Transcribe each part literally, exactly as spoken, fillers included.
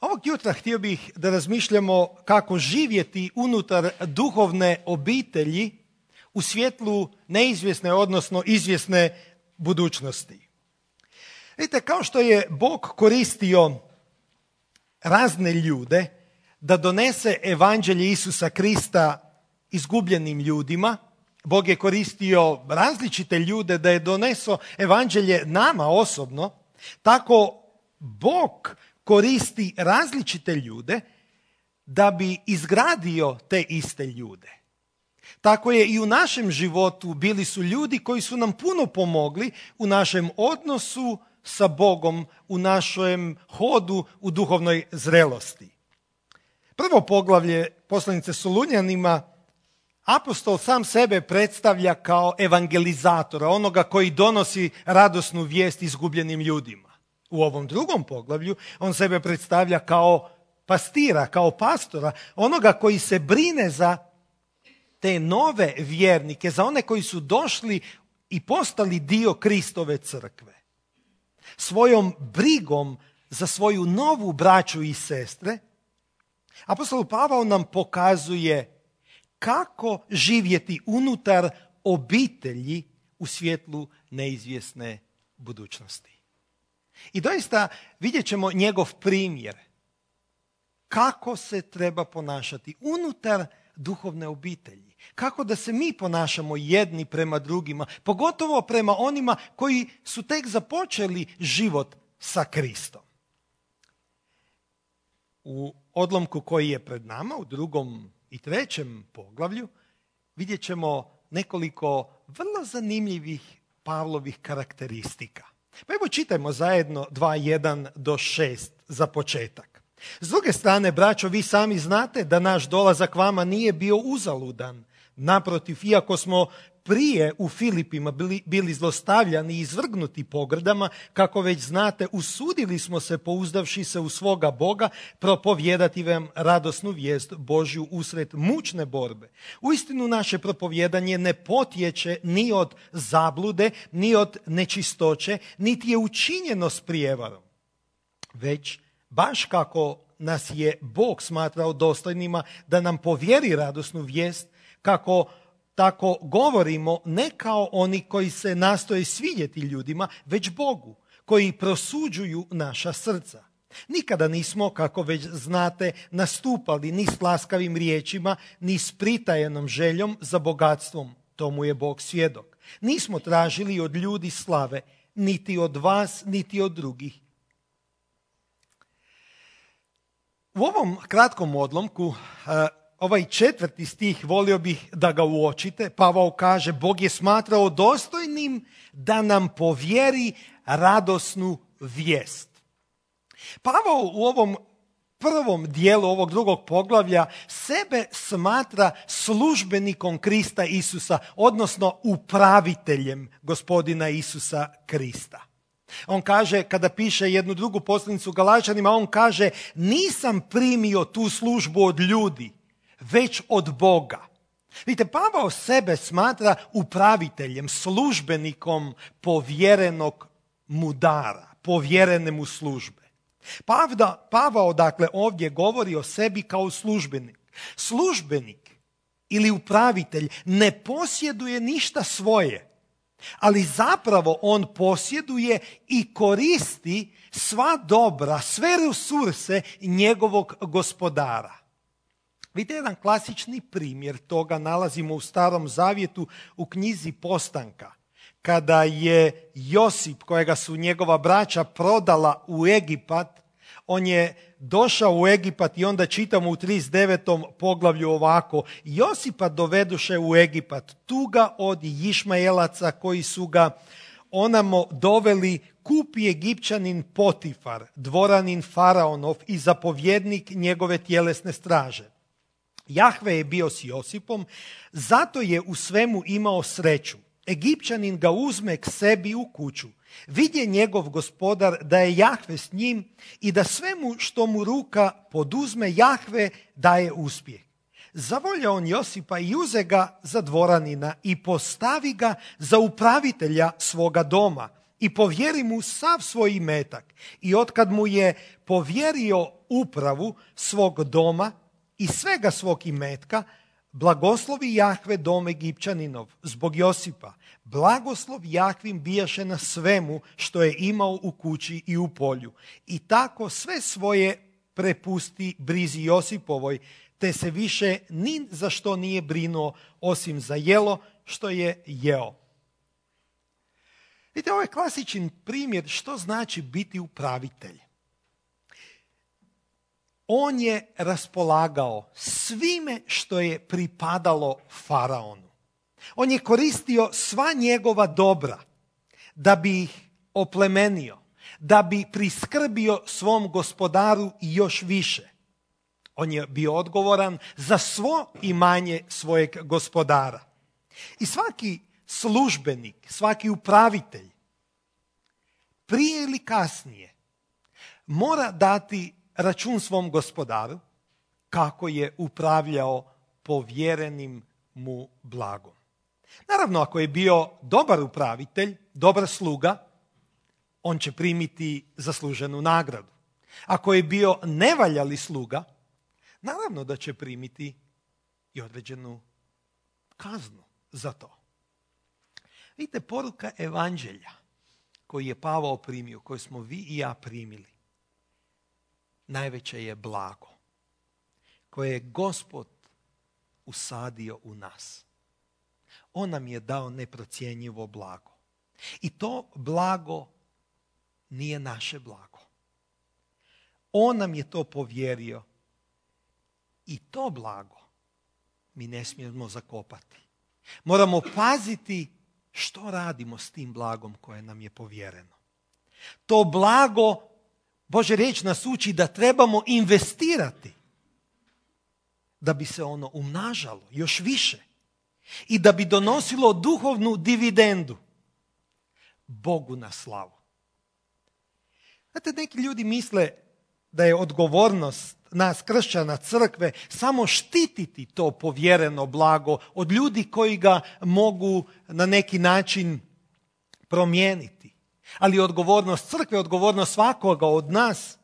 Ovog jutra htio bih da razmišljamo kako živjeti unutar duhovne obitelji u svjetlu neizvjesne, odnosno izvjesne budućnosti. Vidite, kao što je Bog koristio razne ljude da donese evanđelje Isusa Krista izgubljenim ljudima, Bog je koristio različite ljude da je doneso evanđelje nama osobno, tako Bog koristi različite ljude da bi izgradio te iste ljude. Tako je i u našem životu bili su ljudi koji su nam puno pomogli u našem odnosu sa Bogom, u našem hodu u duhovnoj zrelosti. Prvo poglavlje poslanice Solunjanima, apostol sam sebe predstavlja kao evangelizatora, onoga koji donosi radosnu vijest izgubljenim ljudima. U ovom drugom poglavlju on sebe predstavlja kao pastira, kao pastora, onoga koji se brine za te nove vjernike, za one koji su došli i postali dio Kristove crkve. Svojom brigom za svoju novu braću i sestre, apostol Pavao nam pokazuje kako živjeti unutar obitelji u svjetlu neizvjesne budućnosti. I doista vidjet ćemo njegov primjer kako se treba ponašati unutar duhovne obitelji. Kako da se mi ponašamo jedni prema drugima, pogotovo prema onima koji su tek započeli život sa Kristom. U odlomku koji je pred nama, u drugom i trećem poglavlju, vidjet ćemo nekoliko vrlo zanimljivih Pavlovih karakteristika. Pa evo čitajmo zajedno dva jedan do šest za početak. S druge strane, braćo, vi sami znate da naš dolazak vama nije bio uzaludan. Naprotiv, iako smo prije u Filipima bili, bili zlostavljani i izvrgnuti pogrdama, kako već znate, usudili smo se, pouzdavši se u svoga Boga, propovijedati vam radosnu vijest Božju usred mučne borbe. Uistinu naše propovjedanje ne potječe ni od zablude, ni od nečistoće, niti je učinjeno s prijevarom. Već, baš kako nas je Bog smatrao dostojnima da nam povjeri radosnu vijest, kako tako govorimo ne kao oni koji se nastoje svidjeti ljudima, već Bogu, koji prosuđuju naša srca. Nikada nismo, kako već znate, nastupali ni s laskavim riječima, ni s pritajenom željom za bogatstvom. Tomu je Bog svjedok. Nismo tražili od ljudi slave, niti od vas, niti od drugih. U ovom kratkom odlomku, ovaj četvrti stih, volio bih da ga uočite. Pavao kaže, Bog je smatrao dostojnim da nam povjeri radosnu vijest. Pavao u ovom prvom dijelu ovog drugog poglavlja sebe smatra službenikom Krista Isusa, odnosno upraviteljem Gospodina Isusa Krista. On kaže, kada piše jednu drugu poslanicu Galačanima, on kaže, nisam primio tu službu od ljudi, već od Boga. Vidite, Pavao sebe smatra upraviteljem, službenikom povjerenog mu dara, povjerene mu službe. Pavda, Pavao dakle ovdje govori o sebi kao službenik. Službenik ili upravitelj ne posjeduje ništa svoje, ali zapravo on posjeduje i koristi sva dobra, sve resurse njegovog gospodara. Vidite, jedan klasični primjer toga nalazimo u Starom Zavjetu u knjizi Postanka. Kada je Josip, kojega su njegova braća prodala u Egipat, on je došao u Egipat i onda čitamo u trideset devetom poglavlju ovako. Josipa doveduše u Egipat, tuga od Išmaelaca koji su ga onamo doveli, kupi Egipćanin Potifar, dvoranin Faraonov i zapovjednik njegove tjelesne straže. Jahve je bio s Josipom, zato je u svemu imao sreću. Egipćanin ga uzme k sebi u kuću. Vidje njegov gospodar da je Jahve s njim i da svemu što mu ruka poduzme Jahve daje uspjeh. Zavolja on Josipa i uze ga za dvoranina i postavi ga za upravitelja svoga doma i povjeri mu sav svoj imetak. I otkad mu je povjerio upravu svog doma i svega svog imetka, blagoslovi Jahve dom Egipćaninov zbog Josipa. Blagoslov Jahvin bijaše na svemu što je imao u kući i u polju. I tako sve svoje prepusti brizi Josipovoj, te se više ni za što nije brinuo osim za jelo što je jeo. Vidite, ovo je klasičan primjer što znači biti upravitelj. On je raspolagao svime što je pripadalo faraonu. On je koristio sva njegova dobra da bi ih oplemenio, da bi priskrbio svom gospodaru i još više. On je bio odgovoran za svo imanje svojeg gospodara. I svaki službenik, svaki upravitelj, prije ili kasnije, mora dati račun svom gospodaru kako je upravljao povjerenim mu blagom. Naravno, ako je bio dobar upravitelj, dobar sluga, on će primiti zasluženu nagradu. Ako je bio nevaljali sluga, naravno da će primiti i određenu kaznu za to. Vidite, poruka evanđelja koju je Pavao primio, koju smo vi i ja primili, najveće je blago koje je Gospod usadio u nas. On nam je dao neprocjenjivo blago. I to blago nije naše blago. On nam je to povjerio i to blago mi ne smijemo zakopati. Moramo paziti što radimo s tim blagom koje nam je povjereno. To blago, Božja riječ nas uči da trebamo investirati da bi se ono umnažalo još više i da bi donosilo duhovnu dividendu Bogu na slavu. Znate, neki ljudi misle da je odgovornost nas kršćana crkve samo štititi to povjereno blago od ljudi koji ga mogu na neki način promijeniti. Ali odgovornost crkve, odgovornost svakoga od nas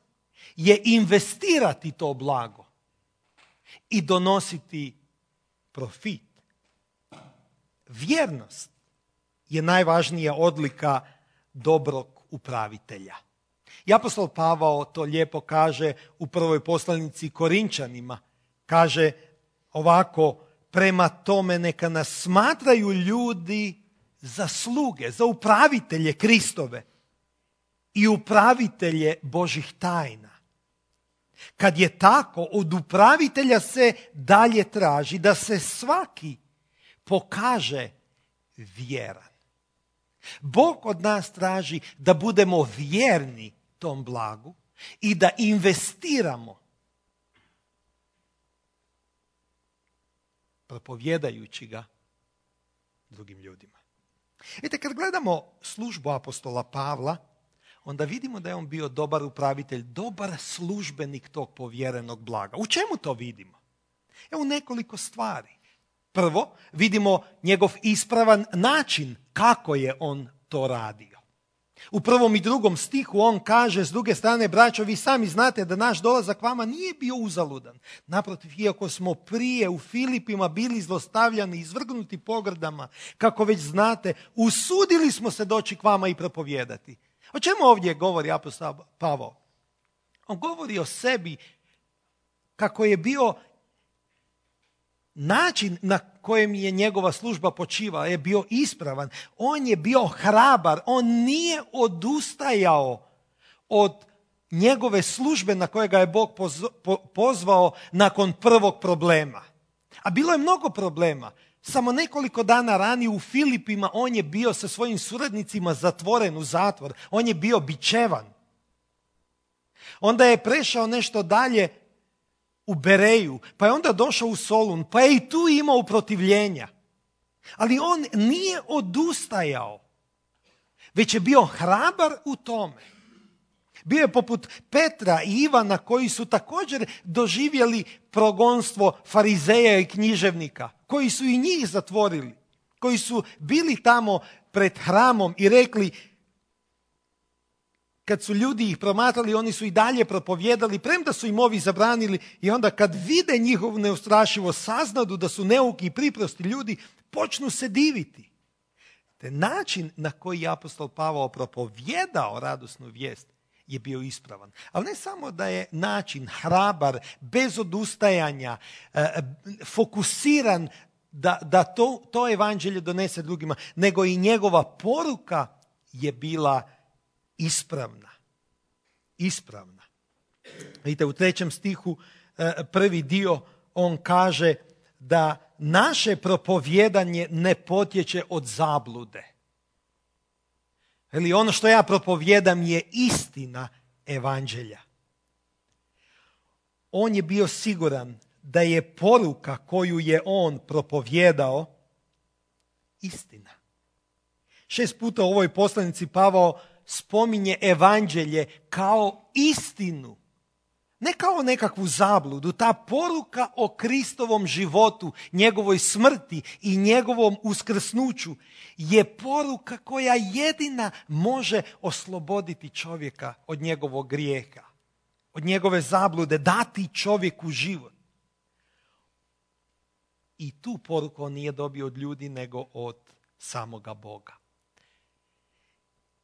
je investirati to blago i donositi profit. Vjernost je najvažnija odlika dobrog upravitelja. I apostol Pavao to lijepo kaže u prvoj poslanici Korinčanima. Kaže ovako: prema tome neka nas smatraju ljudi za sluge, za upravitelje Kristove i upravitelje Božih tajna. Kad je tako, od upravitelja se dalje traži da se svaki pokaže vjeran. Bog od nas traži da budemo vjerni tom blagu i da investiramo propovjedajući ga drugim ljudima. Vidite, kad gledamo službu apostola Pavla, onda vidimo da je on bio dobar upravitelj, dobar službenik tog povjerenog blaga. U čemu to vidimo? Evo nekoliko stvari. Prvo, vidimo njegov ispravan način kako je on to radio. U prvom i drugom stihu on kaže, s druge strane, braćo, vi sami znate da naš dolazak vama nije bio uzaludan. Naprotiv, iako smo prije u Filipima bili zlostavljani, izvrgnuti pogrdama, kako već znate, usudili smo se doći k vama i propovijedati. O čemu ovdje govori apostol Pavao? On govori o sebi kako je bio način na kojem je njegova služba počivala, je bio ispravan. On je bio hrabar, on nije odustajao od njegove službe na koje ga je Bog pozvao nakon prvog problema. A bilo je mnogo problema. Samo nekoliko dana ranije u Filipima on je bio sa svojim suradnicima zatvoren u zatvor. On je bio bičevan. Onda je prešao nešto dalje u Bereju, pa je onda došao u Solun, pa je i tu imao protivljenja. Ali on nije odustajao, već je bio hrabar u tome. Bio je poput Petra i Ivana koji su također doživjeli progonstvo farizeja i književnika, koji su i njih zatvorili, koji su bili tamo pred hramom i rekli: kad su ljudi ih promatrali, oni su i dalje propovijedali, premda su im ovi zabranili, i onda kad vide njihovu neustrašivost, saznadu da su neuki i priprosti ljudi, počnu se diviti. Te način na koji je apostol Pavao propovjedao radosnu vijest je bio ispravan. Ali ne samo da je način hrabar, bez odustajanja, fokusiran da, da to, to evanđelje donese drugima, nego i njegova poruka je bila ispravna. Ispravna. Vidite, u trećem stihu prvi dio on kaže da naše propovjedanje ne potječe od zablude. Ili ono što ja propovjedam je istina evanđelja. On je bio siguran da je poruka koju je on propovjedao istina. Šest puta u ovoj poslanici Pavao spominje evanđelje kao istinu. Ne kao nekakvu zabludu. Ta poruka o Kristovom životu, njegovoj smrti i njegovom uskrsnuću je poruka koja jedina može osloboditi čovjeka od njegovog grijeha, od njegove zablude, dati čovjeku život. I tu poruku on nije dobio od ljudi, nego od samoga Boga.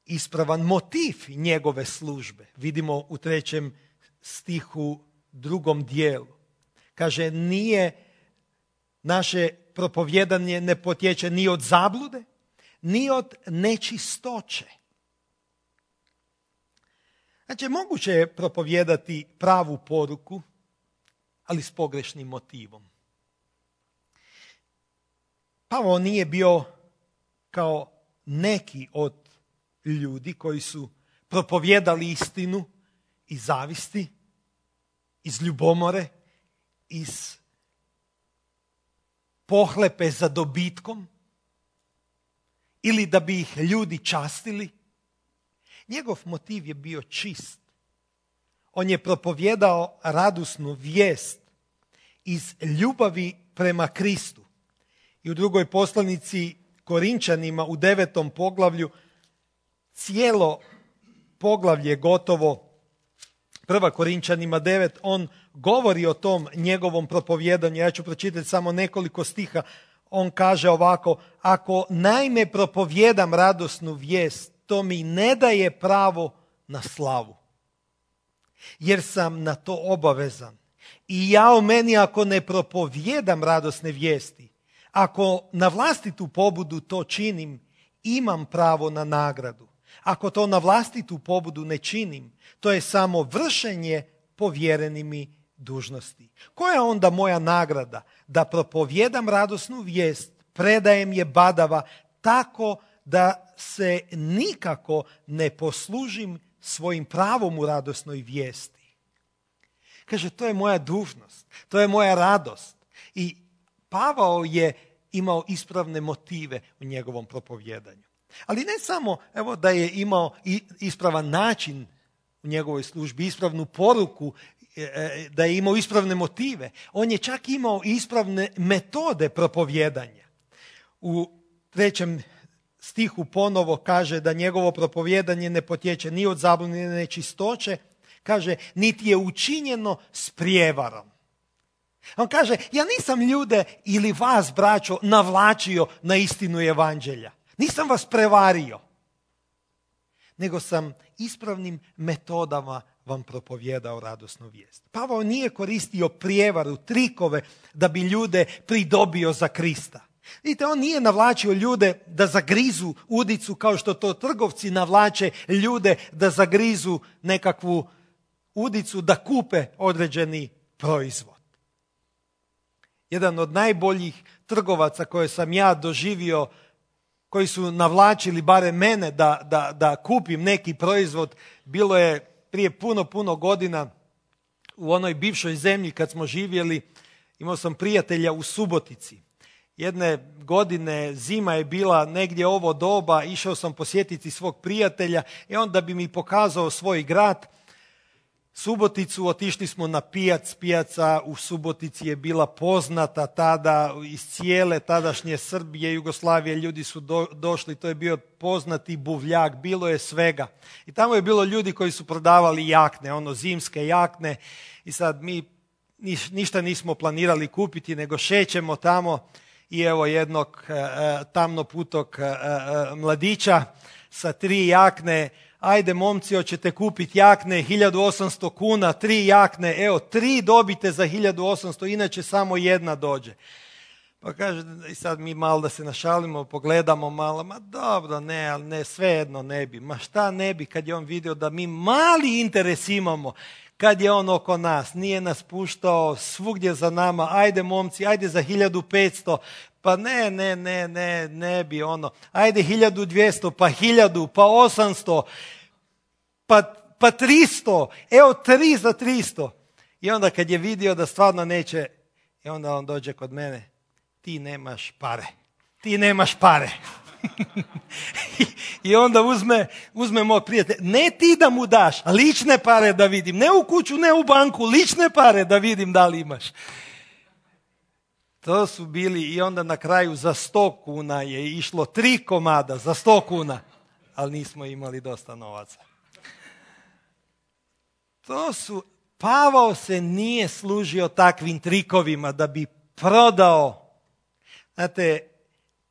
Ispravan motiv njegove službe vidimo u trećem stihu, drugom dijelu. Kaže, nije naše propovjedanje ne potječe ni od zablude, ni od nečistoće. Znači, moguće je propovijedati pravu poruku, ali s pogrešnim motivom. Pavao nije bio kao neki od ljudi koji su propovijedali istinu iz zavisti, iz ljubomore, iz pohlepe za dobitkom ili da bi ih ljudi častili. Njegov motiv je bio čist. On je propovjedao radosnu vijest iz ljubavi prema Kristu. I u drugoj poslanici Korinčanima u devetom poglavlju, cijelo poglavlje gotovo, prva Korinčanima devet, on govori o tom njegovom propovjedanju. Ja ću pročitati samo nekoliko stiha. On kaže ovako: ako naime propovjedam radosnu vijest, to mi ne daje pravo na slavu, jer sam na to obavezan. I ja o meni ako ne propovjedam radosne vijesti, ako na vlastitu pobudu to činim, imam pravo na nagradu. Ako to na vlastitu pobudu ne činim, to je samo vršenje povjereni mi dužnosti. Koja je onda moja nagrada? Da propovjedam radosnu vijest, predajem je badava tako da se nikako ne poslužim svojim pravom u radosnoj vijesti. Kaže, to je moja dužnost, to je moja radost. I Pavao je imao ispravne motive u njegovom propovjedanju. Ali ne samo evo, da je imao ispravan način u njegovoj službi, ispravnu poruku, da je imao ispravne motive. On je čak imao ispravne metode propovjedanja. U trećem stihu ponovo kaže da njegovo propovjedanje ne potječe ni od zablude ni nečistoće. Kaže, niti je učinjeno s prijevarom. On kaže, ja nisam ljude ili vas, braćo, navlačio na istinu evanđelja. Nisam vas prevario, nego sam ispravnim metodama vam propovjedao radosnu vijest. Pavao nije koristio prijevaru, trikove da bi ljude pridobio za Krista. Vidite, on nije navlačio ljude da zagrizu udicu kao što to trgovci navlače ljude da zagrizu nekakvu udicu da kupe određeni proizvod. Jedan od najboljih trgovaca koje sam ja doživio, koji su navlačili barem mene da, da, da kupim neki proizvod, bilo je prije puno, puno godina u onoj bivšoj zemlji kad smo živjeli. Imao sam prijatelja u Subotici. Jedne godine zima je bila negdje ovo doba, išao sam posjetiti svog prijatelja i onda bi mi pokazao svoj grad. Suboticu, otišli smo na pijac. Pijaca u Subotici je bila poznata tada iz cijele tadašnje Srbije, Jugoslavije. Ljudi su do, došli, to je bio poznati buvljak, bilo je svega. I tamo je bilo ljudi koji su prodavali jakne, ono zimske jakne. I sad mi niš, ništa nismo planirali kupiti, nego šećemo tamo i evo jednog e, tamnoputog e, e, mladića sa tri jakne. Ajde momci, hoćete kupiti jakne, hiljadu osamsto kuna, tri jakne, evo, tri dobite za hiljadu osamsto, inače samo jedna dođe. Pa kaže, i sad mi malo da se našalimo, pogledamo malo, ma dobro, ne, ali ne, svejedno ne bi. Ma šta ne bi kad je on vidio da mi mali interes imamo, kad je on oko nas, nije nas puštao svugdje za nama, ajde momci, ajde za hiljadu petsto, pa ne, ne, ne, ne, ne bi ono, ajde hiljadu dvjesto, pa hiljadu, pa osamsto, pa, pa tristo, evo tri za tristo. I onda kad je vidio da stvarno neće, i onda on dođe kod mene, ti nemaš pare, ti nemaš pare. I onda uzme, uzme mog prijatelja, ne ti da mu daš, lične pare da vidim, ne u kuću, ne u banku, lične pare da vidim da li imaš. To su bili i onda na kraju za sto kuna je išlo tri komada za sto kuna, ali nismo imali dosta novaca. To su, Pavao se nije služio takvim trikovima da bi prodao. Znate,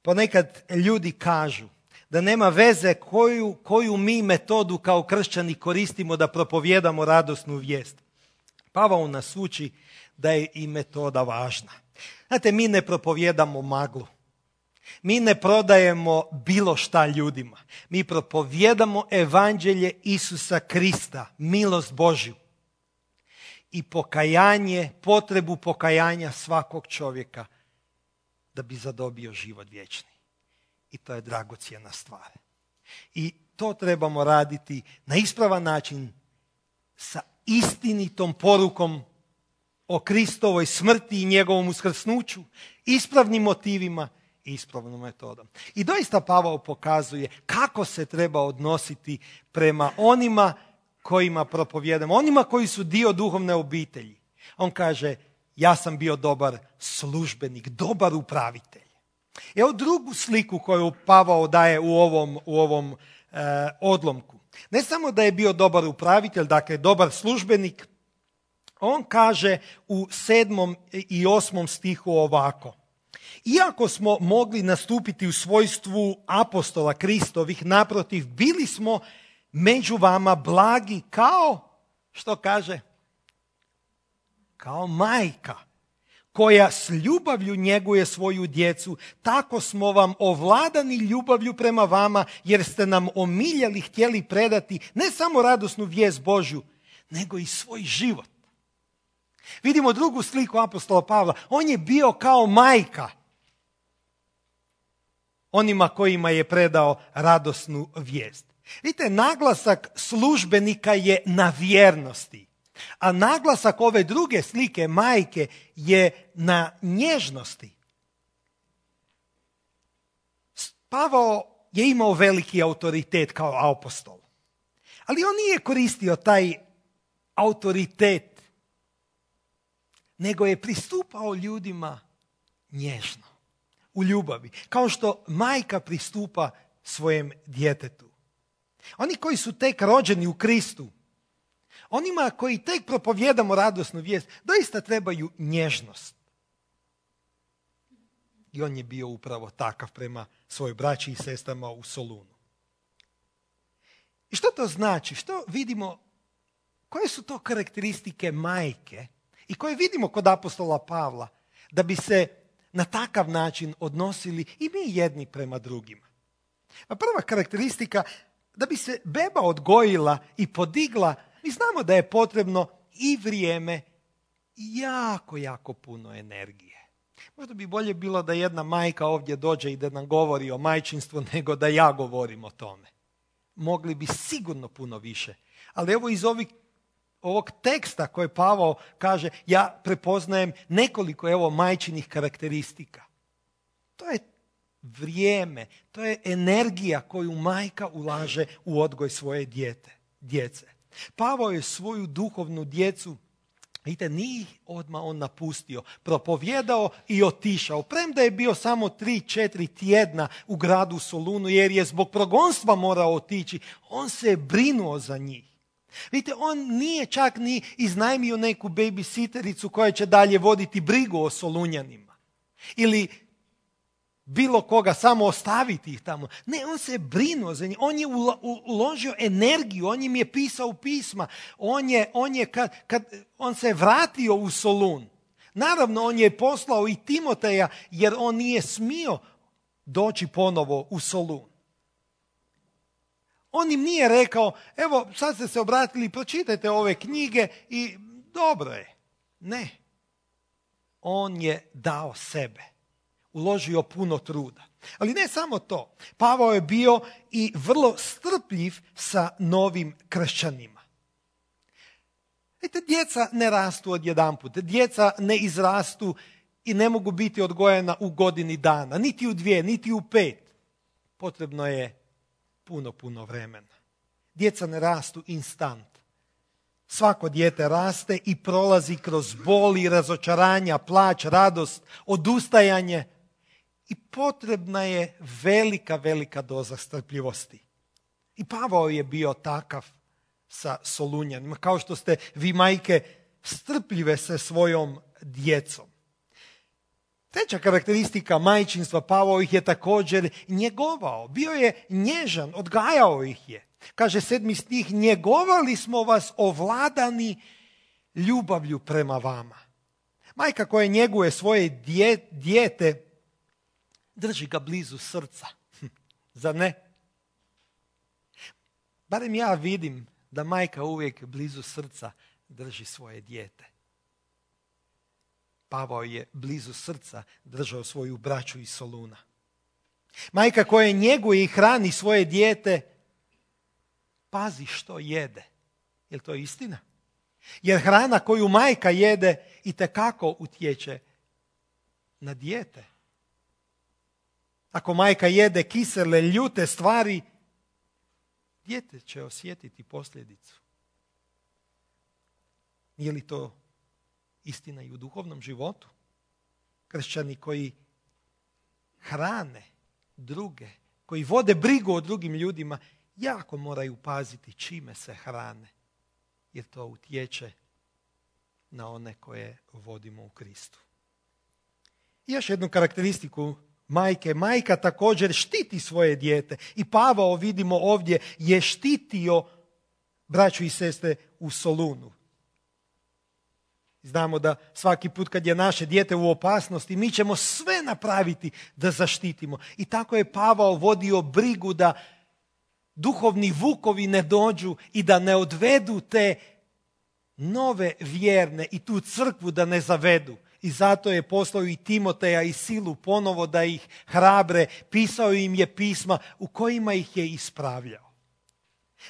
ponekad ljudi kažu da nema veze koju, koju mi metodu kao kršćani koristimo da propovijedamo radosnu vijest. Pavao nas uči da je i metoda važna. Znate, mi ne propovijedamo maglu. Mi ne prodajemo bilo šta ljudima. Mi propovijedamo evanđelje Isusa Krista, milost Božju. I pokajanje, potrebu pokajanja svakog čovjeka da bi zadobio život vječni. I to je dragocjena stvar. I to trebamo raditi na ispravan način sa istinitom porukom o Kristovoj smrti i njegovom uskrsnuću, ispravnim motivima i ispravnom metodom. I doista Pavao pokazuje kako se treba odnositi prema onima kojima propovijedamo, onima koji su dio duhovne obitelji. On kaže, ja sam bio dobar službenik, dobar upravitelj. Evo drugu sliku koju Pavao daje u ovom, u ovom e, odlomku. Ne samo da je bio dobar upravitelj, dakle dobar službenik, on kaže u sedmom i osmom stihu ovako. Iako smo mogli nastupiti u svojstvu apostola Kristovih, naprotiv, bili smo među vama blagi kao, što kaže? Kao majka koja s ljubavlju njeguje svoju djecu, tako smo vam ovladani ljubavlju prema vama, jer ste nam omiljali htjeli predati ne samo radosnu vijest Božju, nego i svoj život. Vidimo drugu sliku apostola Pavla. On je bio kao majka onima kojima je predao radosnu vijest. Vidite, naglasak službenika je na vjernosti, a naglasak ove druge slike majke je na nježnosti. Pavao je imao veliki autoritet kao apostol, ali on nije koristio taj autoritet, nego je pristupao ljudima nježno, u ljubavi, kao što majka pristupa svojem djetetu. Oni koji su tek rođeni u Kristu, onima koji tek propovijedamo radosnu vijest, doista trebaju nježnost. I on je bio upravo takav prema svojoj braći i sestrama u Solunu. I što to znači? Što vidimo? Koje su to karakteristike majke i koje vidimo kod apostola Pavla da bi se na takav način odnosili i mi jedni prema drugima? A prva karakteristika, da bi se beba odgojila i podigla, mi znamo da je potrebno i vrijeme i jako, jako puno energije. Možda bi bolje bilo da jedna majka ovdje dođe i da nam govori o majčinstvu nego da ja govorim o tome. Mogli bi sigurno puno više. Ali evo iz ovih, ovog teksta koje Pavao kaže, ja prepoznajem nekoliko evo majčinih karakteristika. To je vrijeme, to je energija koju majka ulaže u odgoj svoje dijete, djece. Pavao je svoju duhovnu djecu, vidite, nije ih odmah on napustio, propovjedao i otišao. Premda je bio samo tri, četiri tjedna u gradu Solunu, jer je zbog progonstva morao otići, on se je brinuo za njih. Vidite, on nije čak ni iznajmio neku babysittericu koja će dalje voditi brigu o Solunjanima. Ili bilo koga, samo ostaviti ih tamo. Ne, on se je brinuo za njih. On je uložio energiju, on im je pisao pisma. On je, on je kad, kad on se je vratio u Solun. Naravno, on je poslao i Timoteja, jer on nije smio doći ponovo u Solun. On im nije rekao, evo, sad ste se obratili, pročitajte ove knjige i dobro je. Ne. On je dao sebe. Uložio puno truda. Ali ne samo to. Pavao je bio i vrlo strpljiv sa novim kršćanima. Vidite, djeca ne rastu odjedanput. Djeca ne izrastu i ne mogu biti odgojena u godini dana. Niti u dvije, niti u pet. Potrebno je puno, puno vremena. Djeca ne rastu instant. Svako dijete raste i prolazi kroz boli, razočaranja, plać, radost, odustajanje. I potrebna je velika, velika doza strpljivosti. I Pavao je bio takav sa Solunjanima. Kao što ste vi, majke, strpljive sa svojom djecom. Treća karakteristika majčinstva, Pavao ih je također njegovao. Bio je nježan, odgajao ih je. Kaže sedmi stih, njegovali smo vas ovladani ljubavlju prema vama. Majka koja njeguje svoje dje, dijete, drži ga blizu srca. Zar ne? Barem ja vidim da majka uvijek blizu srca drži svoje dijete. Pavao je blizu srca držao svoju braću iz Soluna. Majka koja njeguje i hrani svoje dijete, pazi što jede. Je li to istina? Jer hrana koju majka jede itekako utječe na dijete. Ako majka jede kisele, ljute stvari, dijete će osjetiti posljedicu. Nije li to istina i u duhovnom životu? Kršćani koji hrane druge, koji vode brigu o drugim ljudima, jako moraju paziti čime se hrane, jer to utječe na one koje vodimo u Kristu. I još jednu karakteristiku majke. Majka također štiti svoje dijete. I Pavao, vidimo ovdje, je štitio braću i sestre u Solunu. Znamo da svaki put kad je naše dijete u opasnosti, mi ćemo sve napraviti da zaštitimo. I tako je Pavao vodio brigu da duhovni vukovi ne dođu i da ne odvedu te nove vjerne i tu crkvu da ne zavedu. I zato je poslao i Timoteja i Silu ponovo da ih hrabre, pisao im je pisma u kojima ih je ispravljao.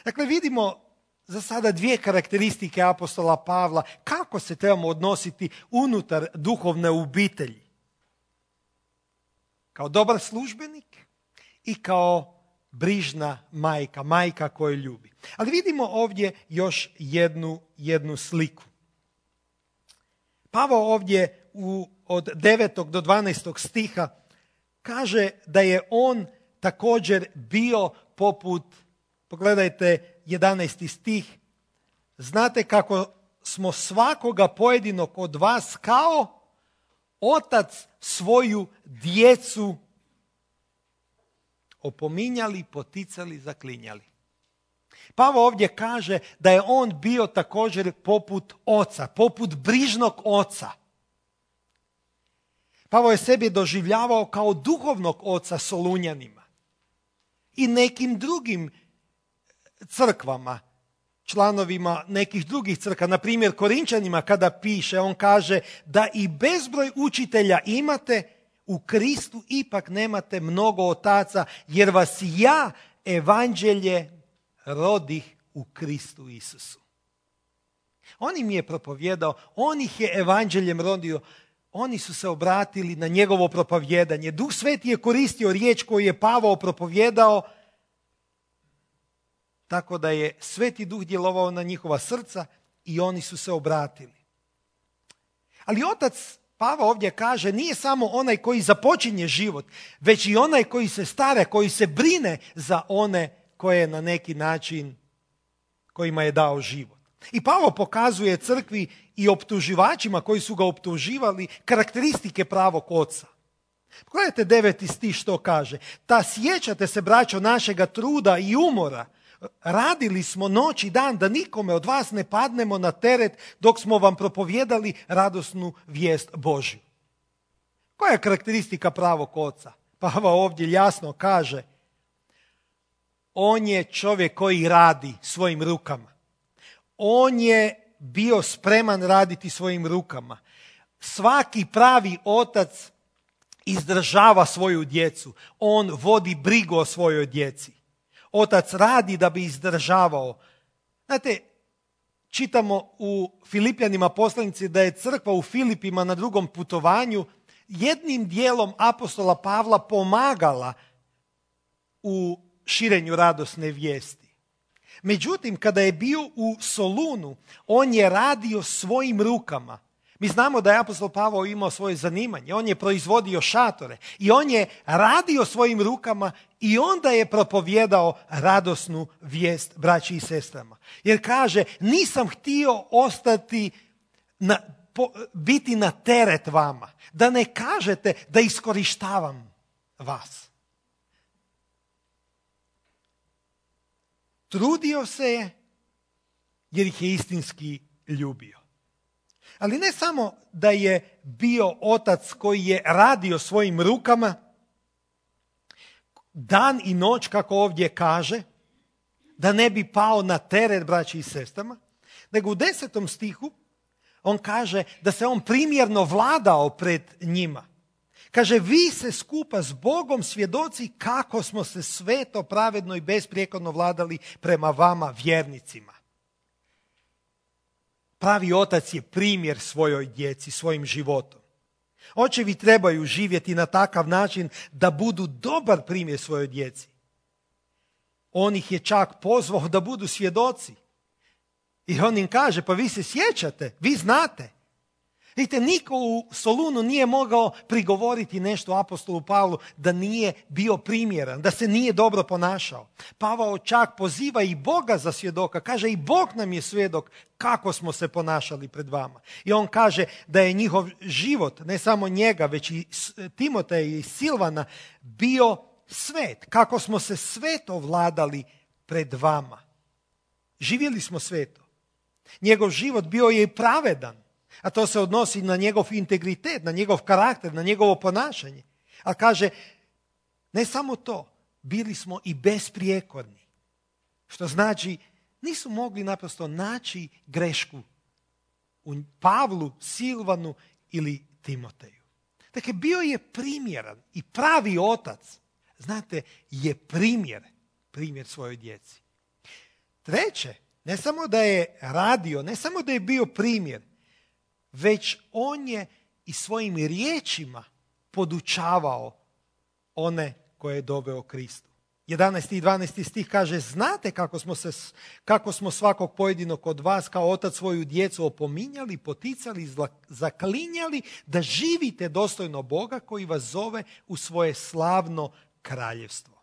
Dakle, vidimo za sada dvije karakteristike apostola Pavla kako se trebamo odnositi unutar duhovne obitelji. Kao dobar službenik i kao brižna majka, majka koju ljubi. Ali vidimo ovdje još jednu, jednu sliku. Pavao ovdje u, od devetog do dvanaestog stiha kaže da je on također bio poput, pogledajte jedanaesti stih, znate kako smo svakoga pojedinog od vas kao otac svoju djecu opominjali, poticali, zaklinjali. Pavao ovdje kaže da je on bio također poput oca, poput brižnog oca. Pavao je sebi doživljavao kao duhovnog oca Solunjanima i nekim drugim crkvama, članovima nekih drugih crkva, na primjer Korinčanima kada piše, on kaže da i bezbroj učitelja imate, u Kristu ipak nemate mnogo otaca, jer vas ja, evanđelje, rodih u Kristu Isusu. On im je propovjedao, on ih je evanđeljem rodio, oni su se obratili na njegovo propovjedanje. Duh Sveti je koristio riječ koju je Pavao propovjedao tako da je Sveti Duh djelovao na njihova srca i oni su se obratili. Ali otac Pavao ovdje kaže, nije samo onaj koji započinje život, već i onaj koji se stara, koji se brine za one koje na neki način, kojima je dao život. I Pavao pokazuje crkvi i optuživačima koji su ga optuživali karakteristike pravog oca. Pogledajte deveti stih što kaže. Ta sjećate se, braćo, našega truda i umora. Radili smo noć i dan da nikome od vas ne padnemo na teret dok smo vam propovijedali radosnu vijest Božju. Koja je karakteristika pravog oca? Pavao ovdje jasno kaže, on je čovjek koji radi svojim rukama. On je bio spreman raditi svojim rukama. Svaki pravi otac izdržava svoju djecu. On vodi brigu o svojoj djeci. Otac radi da bi izdržavao. Znate, čitamo u Filipljanima poslanici da je crkva u Filipima na drugom putovanju jednim dijelom apostola Pavla pomagala u širenju radosne vijesti. Međutim, kada je bio u Solunu, on je radio svojim rukama. Mi znamo da je apostol Pavao imao svoje zanimanje, on je proizvodio šatore i on je radio svojim rukama i onda je propovjedao radosnu vijest braći i sestrama. Jer kaže, nisam htio ostati, na, po, biti na teret vama, da ne kažete da iskorištavam vas. Trudio se je jer ih je istinski ljubio. Ali ne samo da je bio otac koji je radio svojim rukama, dan i noć, kako ovdje kaže, da ne bi pao na teret braći i sestrama, nego u desetom stihu on kaže da se on primjerno vladao pred njima. Kaže, vi se skupa s Bogom svjedoci kako smo se sveto, pravedno i besprijekorno vladali prema vama vjernicima. Pravi otac je primjer svojoj djeci, svojim životom. Očevi trebaju živjeti na takav način da budu dobar primjer svojoj djeci. On ih je čak pozvao da budu svjedoci. I on im kaže, pa vi se sjećate, vi znate. Vidite, niko u Solunu nije mogao prigovoriti nešto apostolu Pavlu da nije bio primjeran, da se nije dobro ponašao. Pavao čak poziva i Boga za svjedoka. Kaže, i Bog nam je svjedok kako smo se ponašali pred vama. I on kaže da je njihov život, ne samo njega, već i Timoteja i Silvana, bio svet. Kako smo se sveto vladali pred vama. Živjeli smo sveto. Njegov život bio je i pravedan. A to se odnosi na njegov integritet, na njegov karakter, na njegovo ponašanje. A kaže, ne samo to, bili smo i besprijekorni. Što znači, nisu mogli naprosto naći grešku u Pavlu, Silvanu ili Timoteju. Dakle, bio je primjeran i pravi otac, znate, je primjer, primjer svojoj djeci. Treće, ne samo da je radio, ne samo da je bio primjer, već on je i svojim riječima podučavao one koje je doveo Kristu. jedanaesti i dvanaesti stih kaže, znate kako smo, se, kako smo svakog pojedinog od vas kao otac svoju djecu opominjali, poticali, zaklinjali da živite dostojno Boga koji vas zove u svoje slavno kraljevstvo.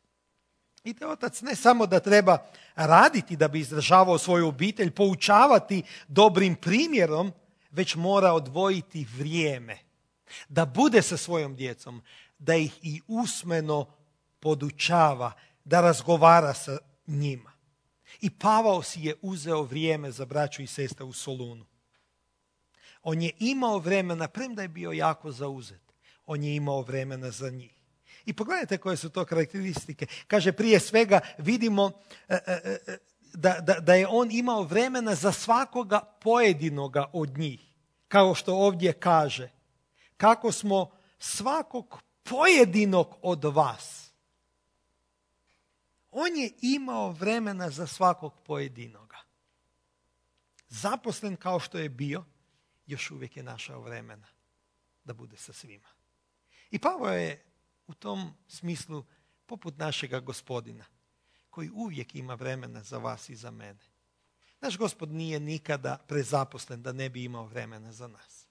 I te otac ne samo da treba raditi da bi izdržavao svoju obitelj, poučavati dobrim primjerom, već mora odvojiti vrijeme da bude sa svojom djecom, da ih i usmeno podučava, da razgovara sa njima. I Pavao si je uzeo vrijeme za braću i sestre u Solunu. On je imao vremena, premda je bio jako zauzet, on je imao vremena za njih. I pogledajte koje su to karakteristike. Kaže, prije svega vidimo e, e, e, Da, da, da je on imao vremena za svakoga pojedinoga od njih. Kao što ovdje kaže, kako smo svakog pojedinog od vas. On je imao vremena za svakog pojedinoga. Zaposlen kao što je bio, još uvijek je našao vremena da bude sa svima. I Pavao je u tom smislu poput našega Gospodina, koji uvijek ima vremena za vas i za mene. Naš Gospod nije nikada prezaposlen da ne bi imao vremena za nas.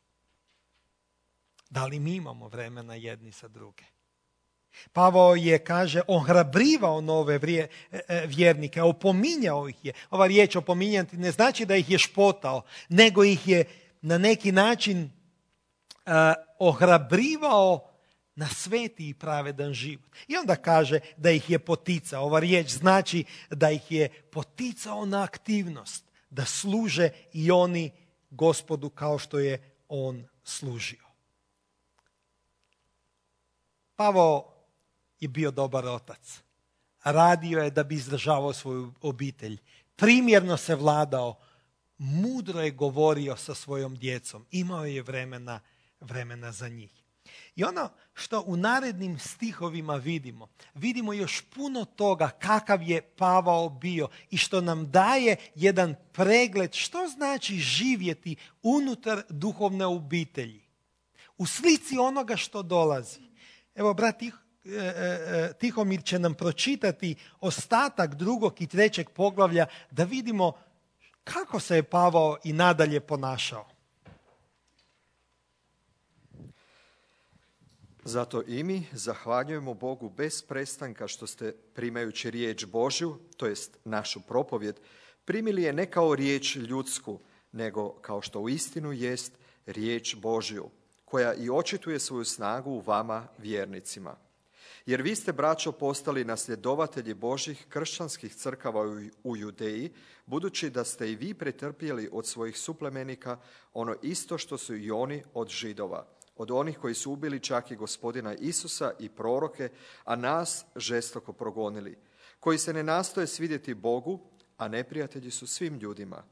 Da li mi imamo vremena jedni sa druge? Pavao je, kaže, ohrabrivao nove vrije, vjernike, opominjao ih je. Ova riječ opominjati ne znači da ih je špotao, nego ih je na neki način uh, ohrabrivao na sveti i pravedan život. I onda kaže da ih je poticao. Ova riječ znači da ih je poticao na aktivnost, da služe i oni Gospodu kao što je on služio. Pavao je bio dobar otac. Radio je da bi izdržavao svoju obitelj. Primjerno se vladao. Mudro je govorio sa svojom djecom. Imao je vremena, vremena za njih. I ono što u narednim stihovima vidimo, vidimo još puno toga kakav je Pavao bio i što nam daje jedan pregled što znači živjeti unutar duhovne obitelji. U slici onoga što dolazi. Evo, brat Tihomir će nam pročitati ostatak drugog i trećeg poglavlja da vidimo kako se je Pavao i nadalje ponašao. Zato i mi zahvaljujemo Bogu bez prestanka što ste, primajući riječ Božju, to jest našu propovjed, primili je ne kao riječ ljudsku, nego kao što uistinu jest riječ Božju, koja i očituje svoju snagu u vama vjernicima. Jer vi ste, braćo, postali nasljedovatelji Božjih kršćanskih crkava u Judeji, budući da ste i vi pretrpjeli od svojih suplemenika ono isto što su i oni od Židova, od onih koji su ubili čak i Gospodina Isusa i proroke, a nas žestoko progonili, koji se ne nastoje svidjeti Bogu, a neprijatelji su svim ljudima,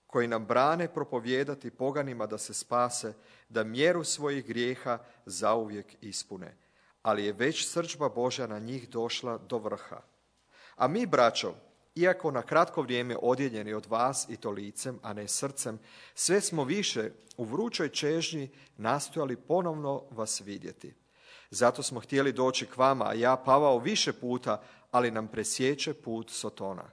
koji nam brane propovijedati poganima da se spase, da mjeru svojih grijeha zauvijek ispune. Ali je već srdžba Božja na njih došla do vrha. A mi, braćo, iako na kratko vrijeme odjeljeni od vas i to licem, a ne srcem, sve smo više u vrućoj čežnji nastojali ponovno vas vidjeti. Zato smo htjeli doći k vama, a ja, Pavao, više puta, ali nam presječe put Sotona.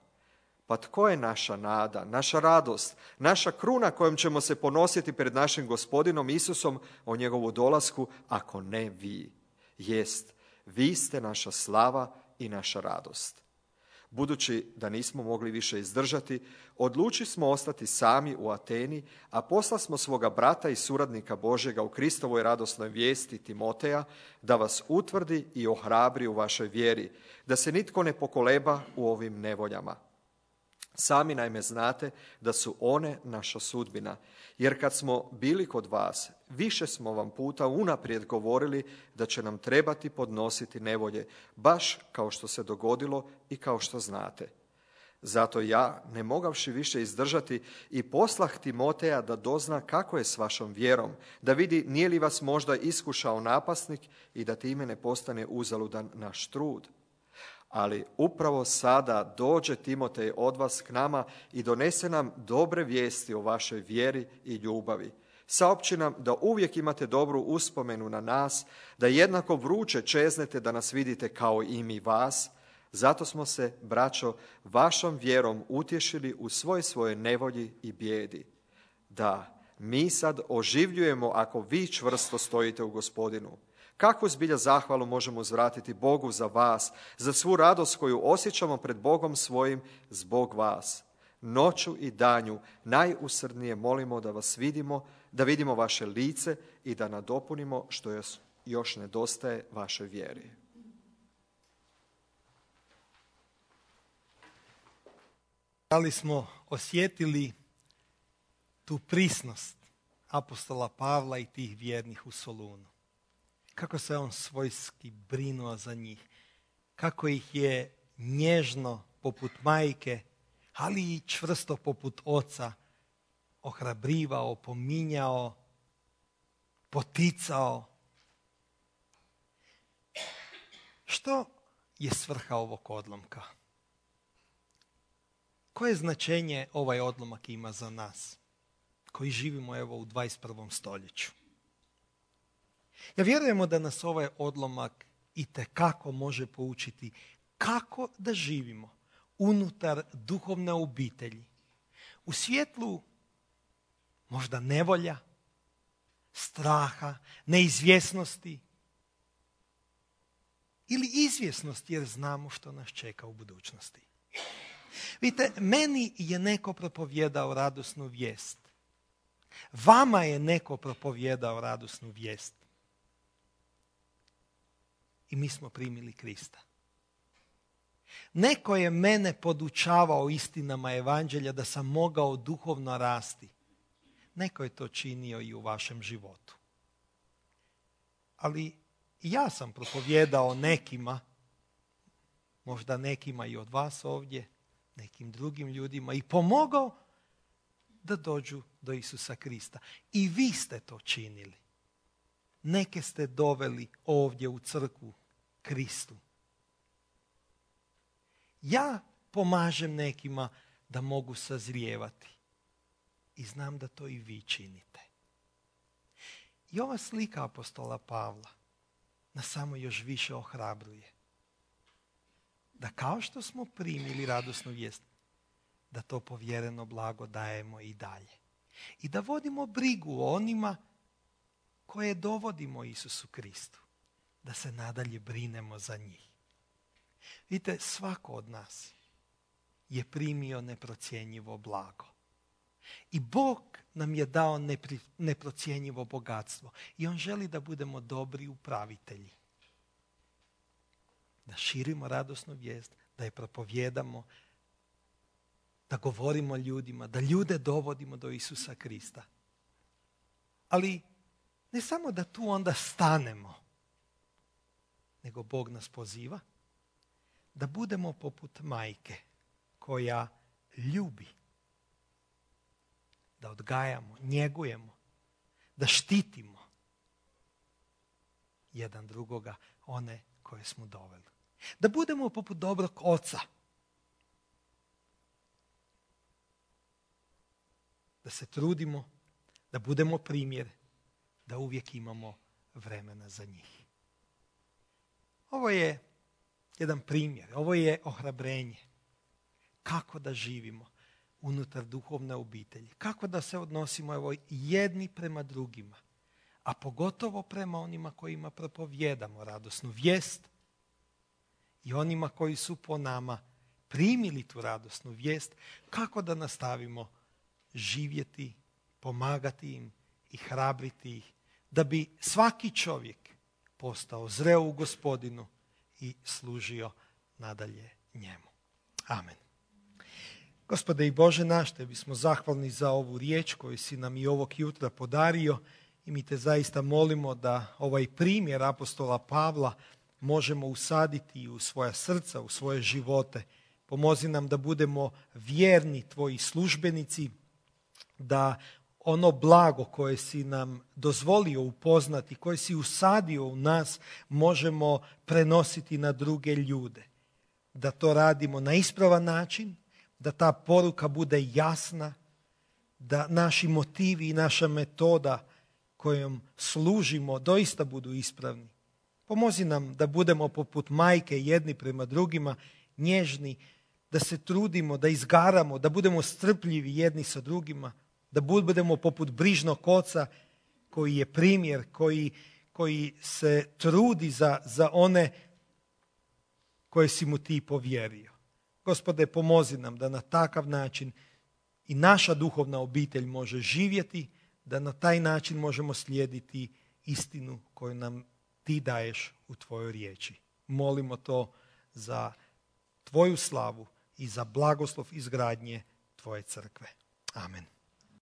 Pa tko je naša nada, naša radost, naša kruna kojom ćemo se ponositi pred našim Gospodinom Isusom o njegovu dolasku, ako ne vi? Jest, vi ste naša slava i naša radost. Budući da nismo mogli više izdržati, odlučili smo ostati sami u Ateni, a posla smo svoga brata i suradnika Božjega u Kristovoj radosnoj vijesti Timoteja, da vas utvrdi i ohrabri u vašoj vjeri, da se nitko ne pokoleba u ovim nevoljama. Sami naime znate da su one naša sudbina, jer kad smo bili kod vas, više smo vam puta unaprijed govorili da će nam trebati podnositi nevolje, baš kao što se dogodilo i kao što znate. Zato ja, ne mogavši više izdržati, i poslah Timoteja da dozna kako je s vašom vjerom, da vidi nije li vas možda iskušao napasnik i da time ne postane uzaludan naš trud. Ali upravo sada dođe Timotej od vas k nama i donese nam dobre vijesti o vašoj vjeri i ljubavi. Saopći nam da uvijek imate dobru uspomenu na nas, da jednako vruće čeznete da nas vidite kao i mi vas. Zato smo se, braćo, vašom vjerom utješili u svoj svojoj nevolji i bijedi. Da, mi sad oživljujemo ako vi čvrsto stojite u Gospodinu. Kakvu zbilja zahvalu možemo uzvratiti Bogu za vas, za svu radost koju osjećamo pred Bogom svojim zbog vas. Noću i danju najusrdnije molimo da vas vidimo, da vidimo vaše lice i da nadopunimo što još nedostaje vašoj vjeri. Da li smo osjetili tu prisnost apostola Pavla i tih vjernih u Solunu? Kako se on svojski brinuo za njih, kako ih je nježno poput majke, ali i čvrsto poput oca ohrabrivao, opominjao, poticao. Što je svrha ovog odlomka? Koje značenje ovaj odlomak ima za nas, koji živimo evo u dvadeset prvom stoljeću? Ja vjerujemo da nas ovaj odlomak itekako može poučiti kako da živimo unutar duhovne obitelji. U svjetlu možda nevolja, straha, neizvjesnosti ili izvjesnosti jer znamo što nas čeka u budućnosti. Vidite, meni je neko propovijedao radosnu vijest. Vama je neko propovijedao radosnu vijest. I mi smo primili Krista. Neko je mene podučavao istinama evanđelja da sam mogao duhovno rasti. Neko je to činio i u vašem životu. Ali ja sam propovijedao nekima, možda nekima i od vas ovdje, nekim drugim ljudima i pomogao da dođu do Isusa Krista. I vi ste to činili. Neke ste doveli ovdje u crkvu Kristu. Ja pomažem nekima da mogu sazrijevati. I znam da to i vi činite. I ova slika apostola Pavla nas samo još više ohrabruje. Da kao što smo primili radosnu vijest, da to povjereno blago dajemo i dalje. I da vodimo brigu o onima koje dovodimo Isusu Kristu. Da se nadalje brinemo za njih. Vidite, svako od nas je primio neprocjenjivo blago. I Bog nam je dao nepri, neprocjenjivo bogatstvo. I On želi da budemo dobri upravitelji. Da širimo radosnu vijest, da je propovijedamo, da govorimo ljudima, da ljude dovodimo do Isusa Krista. Ali ne samo da tu onda stanemo, nego Bog nas poziva da budemo poput majke koja ljubi. Da odgajamo, njegujemo, da štitimo jedan drugoga, one koje smo doveli. Da budemo poput dobrog oca. Da se trudimo, da budemo primjer, da uvijek imamo vremena za njih. Ovo je jedan primjer, ovo je ohrabrenje. Kako da živimo unutar duhovne obitelji. Kako da se odnosimo evo, jedni prema drugima. A pogotovo prema onima kojima propovijedamo radosnu vijest i onima koji su po nama primili tu radosnu vijest. Kako da nastavimo živjeti, pomagati im i hrabriti ih. Da bi svaki čovjek postao zreo u Gospodinu i služio nadalje njemu. Amen. Gospode i Bože naš, Tebi smo zahvalni za ovu riječ koju si nam i ovog jutra podario i mi Te zaista molimo da ovaj primjer apostola Pavla možemo usaditi u svoja srca, u svoje živote. Pomozi nam da budemo vjerni Tvoji službenici, da ono blago koje si nam dozvolio upoznati, koje si usadio u nas, možemo prenositi na druge ljude. Da to radimo na ispravan način, da ta poruka bude jasna, da naši motivi i naša metoda kojom služimo doista budu ispravni. Pomozi nam da budemo poput majke jedni prema drugima, nježni, da se trudimo, da izgaramo, da budemo strpljivi jedni sa drugima, da budemo poput brižnog oca koji je primjer, koji, koji se trudi za, za one koje si mu ti povjerio. Gospode, pomozi nam da na takav način i naša duhovna obitelj može živjeti, da na taj način možemo slijediti istinu koju nam ti daješ u tvojoj riječi. Molimo to za tvoju slavu i za blagoslov izgradnje tvoje crkve. Amen.